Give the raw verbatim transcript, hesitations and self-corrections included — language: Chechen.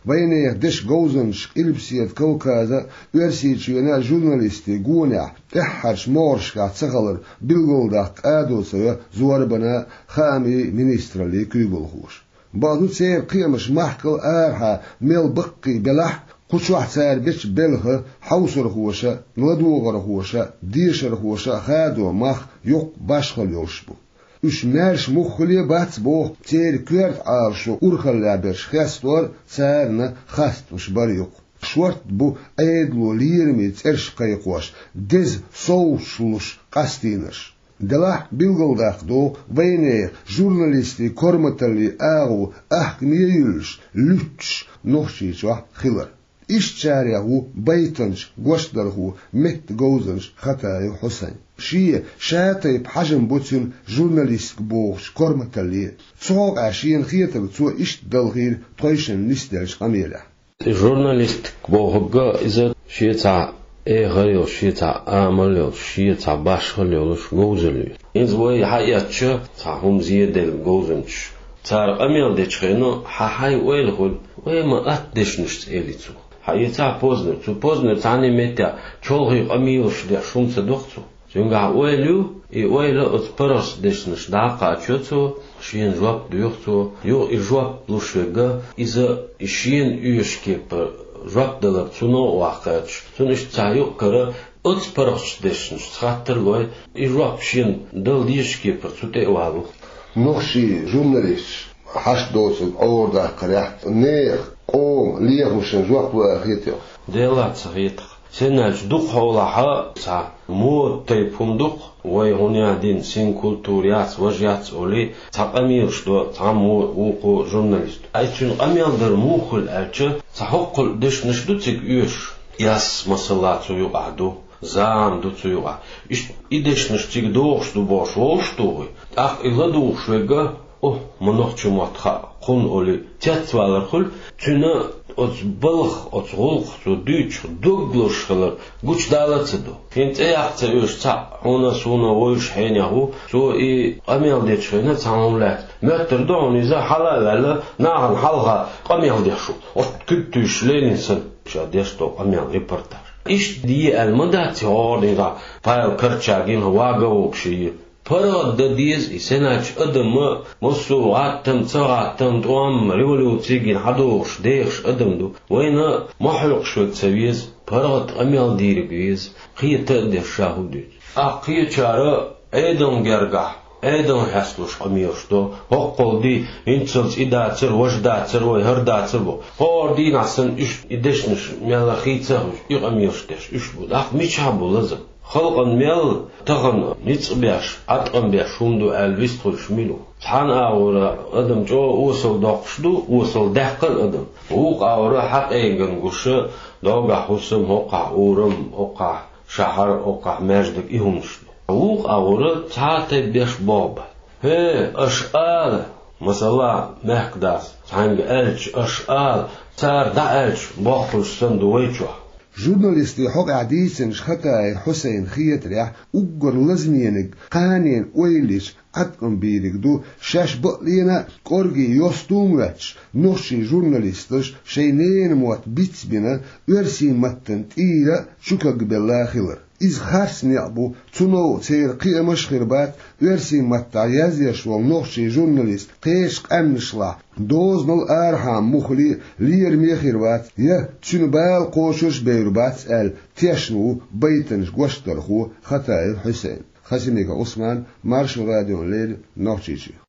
Вайнехан дешан говзанчаш Къилбаседа Кавказа а, Оьрсийчоьнан а журналистийн гонехь тӀаьххьарчу могӀаршкахь ца хилар билгалдаккха къадо ца йо зорбанан а, хаамийн а министраллин а куьйгалхоша. Бакъду, церан кхиамаш махкал а, арахьа а мел баккхий белахь а, кху чохь цара бечу белхан хьовсархоша а, ладогӀархоша а, дешархоша а хадо мах юкъ башхалла йолуш бу. Уьш маьрша муххале а бац, боху церан коьрта Ӏалашо урхаллехь берш хестор а, царна хастамаш бар юкъа. Шортта бу Ӏедало лераме цӀераш кхайкхош, деза совгӀаташ луш къастийнарш. Делахь а билгалдаккха догӀу вайнехан журналистийн корматаллин агӀо аьхкаме а юьллуш, луьттуш Нохчийчохь хилар. Ишттачарех ву байтанча гочдархо, меттан говзанча Хатаев Хьусайн. Шен ша-тайпа хьажам бу цуьнан журналистика бохучу корматалле. Цу хьокъехь шена хетарг цо иштта далхийра тхойшинна нисделлачу къамелехь. И журналистика бохург иза шен цхьа эхар йолуш, шен цхьа амал йолуш, шен цхьа башхалла йолуш говзалла ю. Иза вай хьаэцча, цхьа хӀума зеделла говзанчаш, цара къамел дечу хенахь хьан хьайн ойла хуьлу, вай ма атта дешнашца, элира цо. Хьан эцахь Познер, цу Познер цхьана а меттехь чолхе къамелаш деш хӀума ца доху цо. Цуьнгахь ойла ю, и ойла оцу паргӀатчу дешнашка дӀа а кхачо цо, шена жоп доьху цо. Юха и жоп луш верг, иза и шена оьшучу кепара жоп далар цунах а ваккхаьчча, цунна иштта цхьа юкъ-кара оцу паргӀатчу дешнашца хаттар а лой, и жоп шена дала дезачу кепара цу тӀе а валу. Нохчийн журналисташ хьашт доцург Ӏорадаккхарехь, нехан, къоман лехамашна жоп ло аьлла хета хьуна? Делахь ца хета-кх. Стенна аьлча дукха хьолахь цхьа мода тайпа хӀума ду-кх, вай хӀун яздина, синкультура яц, важа яц олий, цхьа къамелаш до цхьаммо а вукхо а журналисто. Ай, цуьнан къамел дар муха хуьлу аьлча, цхьа хӀоккхул дешнаш ду цига оьшуш. Эс, масала, цу юкъахь ду, зама ду цу юкъахь. Иштта и дешнаш цига догӀуш ду бохуш вовшах тухий. ТӀаккха и ладугӀуш верг, о, ма нохчийн мотт хаьа кхунна олий, цецвалар хуьлу, цуьнан оцу балха, оцу гӀуллакхах цо дуьйцуш дог лозуш хилар гучудала а ца до. ХӀинца цӀе яккха ца оьшу цхьаъ, хьуна а, суна а вовзаш хьенех ву, цо и къамел дечу хенахь цхьана хӀуманна лаьцна моьттур ду хьуна иза, хьала а ваьлла, нахана хьалха къамел деш ву, оцу куьг туьйсуш Ленин санна. Ша деш долу къамел, репортаж. Иштта де аьлла ма дац и хӀора дийнахь Павел Корчагин, вага вогуш и. ПаргӀат дан деза и, сеначу адам а, массо а гӀаттам, ца гӀаттам, тӀом, революци гина хьадогӀуш, дехаш адам ду. Вайна ма хьоькхуш верг ца веза, паргӀат къамел дийриг веза, кхета а деш ша хӀу дуьйцу. ТӀаккха кхечара Ӏедална гергахь, Ӏедална хьесталуш къамелаш до, хӀоккхул ди, хӀинццалц и дацара, важа дацара, вай хӀара дацара бо. ХӀора дийнахь санна уьш и дешнаш мелла хийца а хуьлуш, и къамелаш деш уьш бу. ТӀаккха мичахь бу лазам? Халкъана мел тахана ницкъ беш, Ӏаткъам беш хӀума ду аьлла вистхуьлуш мила ву? Цхьана агӀора адам чӀогӀа осал доккхуш ду, осал даьккхина адам. Вукху агӀора хьакъеган гуш, догахь хӀусам, хӀокхахь урам, хӀокхахь шахьар, хӀокхахь маьждиг, и хӀуманаш ду. Вукху агӀора цхьа а тайпа беш богӀу бан. ХӀе, аша ала, масала, мехкадас цхьаьнга аьлча, аша ала, цара дӀааьлча, бохкуш санна ду вай чохь. Журналистийн хьокъехь дийцинчу Хатаев Хьусайна хетарехь, уггар лазамениг кханенан ойла йича, Ӏаткъам бийриг ду шаьш бакъ лена а, кӀорге йосту а моьттуш, нохчийн журналисташа шайн ненан мотт бицбина, оьрсийн маттана тӀера а чукагбелла хилар. Иза харц некъ бу, цу новкъа церан кхиамаш а хир бац, оьрсийн маттахь язъеш волу нохчийн журналист кхечу къаьмнашлахь дозанал арахьа муххале а лераме а хир вац, я цуьнан бала кхочуш а бевр бац аьлла, тешна ву байтанча гочдархо Хатаев Хьусайн. Хасимиков Ӏусман, Маршо радиона леррина, Нохчийчоь.